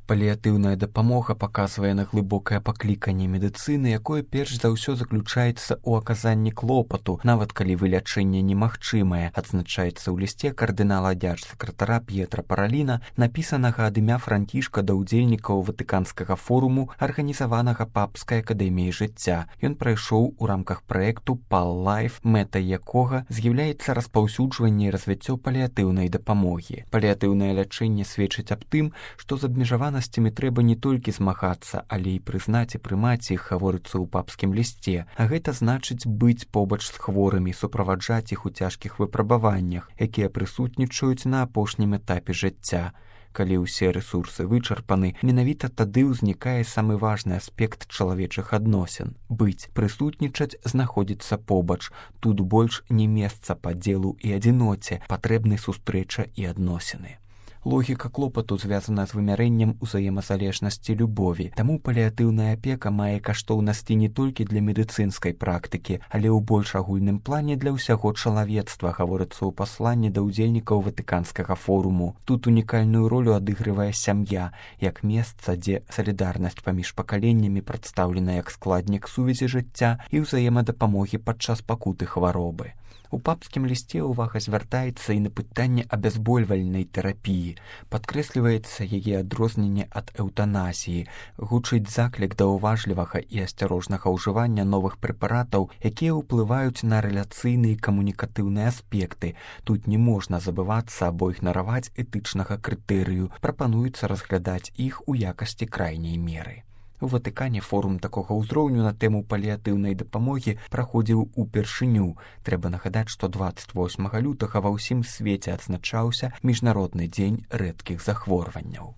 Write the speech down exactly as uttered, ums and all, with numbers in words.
Паліятыўная дапамога паказвае на глыбокае пакліканне медыцыны, якое перш за ўсё заключаецца ў аказанні клопату, нават калі вылячэнне немагчымае, адзначаецца ў лісце кардынала дзяржсакратара П'етра Параліна, напісанага ад імя Францішка да ўдзельнікаў Ватыканскага форуму, арганізаванага Папскай акадэміяй жыцця. Ён прайшоў у рамках праекту Пал Лайф, мэтай якога з'яўляецца распаўсюджванне і развіццё паліятыўнай дапамогі. Паліятыўнае лячэнне сведчыць аб тым, што з абмежаванасцямі трэба не толькі змагацца, але і прызнаць і прымаць іх, гаворыцца ў папскім лісце. А гэта значыць быць побач з хворымі, суправаджаць іх у цяжкіх выпрабаваннях, якія прысутнічаюць на апошнім этапе жыцця. Калі ўсе рэсурсы вычарпаны, менавіта тады ўзнікае самы важны аспект чалавечых адносін. Быць, прысутнічаць, знаходзіцца побач. Тут больш не месца падзелу і адзіноце, патрэбны сустрэча і адносіны. Логіка клопату звязана з вымярэннем узаемазалежнасці любові. Таму паліятыўная апека мае каштоўнасці не толькі для медыцынскай практыкі, але ў больш агульным плане для ўсяго чалавецтва, гаворыцца ў пасланні да ўдзельнікаў Ватыканскага форуму. Тут унікальную ролю адыгрывае сям'я, як месца, дзе салідарнасць паміж пакаленнямі прадстаўлена як складнік сувязі жыцця і ўзаемадапамогі падчас пакуты хваробы. У папскім лісце ўвага звяртаецца і на пытанне абязбольвальнай тэрапіі. Падкрэсліваецца яе адрозненне ад эўтаназіі, гучыць заклік да ўважлівага і асцярожнага ўжывання новых прэпаратаў, якія ўплываюць на рэляцыйныя і камунікатыўныя аспекты. Тут не можна забывацца або ігнараваць этычнага крытэрыю, прапануецца разглядаць іх у якасці крайняй меры. У Ватыкане форум такога ўзроўню на тэму паліятыўнай дапамогі праходзіў упершыню. Трэба нагадаць, што дваццаць восьмага лютага ва ўсім свеце адзначаўся міжнародны дзень рэдкіх захворванняў.